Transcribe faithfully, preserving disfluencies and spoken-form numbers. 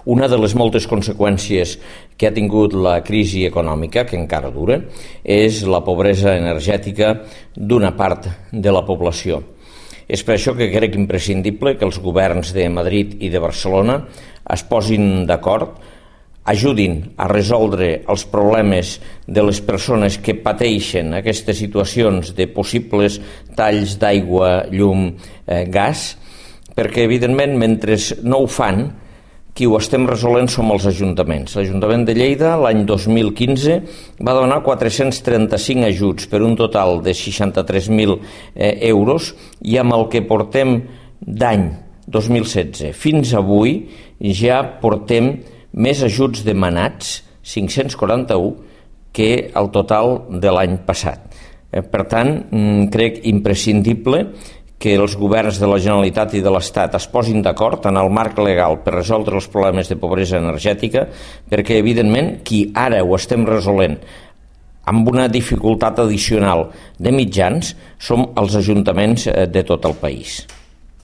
Una de les moltes conseqüències que ha tingut la crisi econòmica, que encara dura, és la pobresa energètica d'una part de la població. És per això que crec imprescindible que els governs de Madrid i de Barcelona es posin d'acord, ajudin a resoldre els problemes de les persones que pateixen aquestes situacions de possibles talls d'aigua, llum, eh, gas, perquè, evidentment, mentre no ho fan, qui ho estem resolent som els ajuntaments. L'Ajuntament de Lleida, l'any dos mil quinze, va donar quatre-cents trenta-cinc ajuts per un total de seixanta-tres mil eh, euros i amb el que portem d'any dos mil setze fins avui ja portem més ajuts demanats, cinc-cents quaranta-un, que el total de l'any passat. Eh, per tant, crec imprescindible que els governs de la Generalitat i de l'Estat es posin d'acord en el marc legal per resoldre els problemes de pobresa energètica, perquè, evidentment, qui ara ho estem resolent amb una dificultat addicional de mitjans som els ajuntaments de tot el país.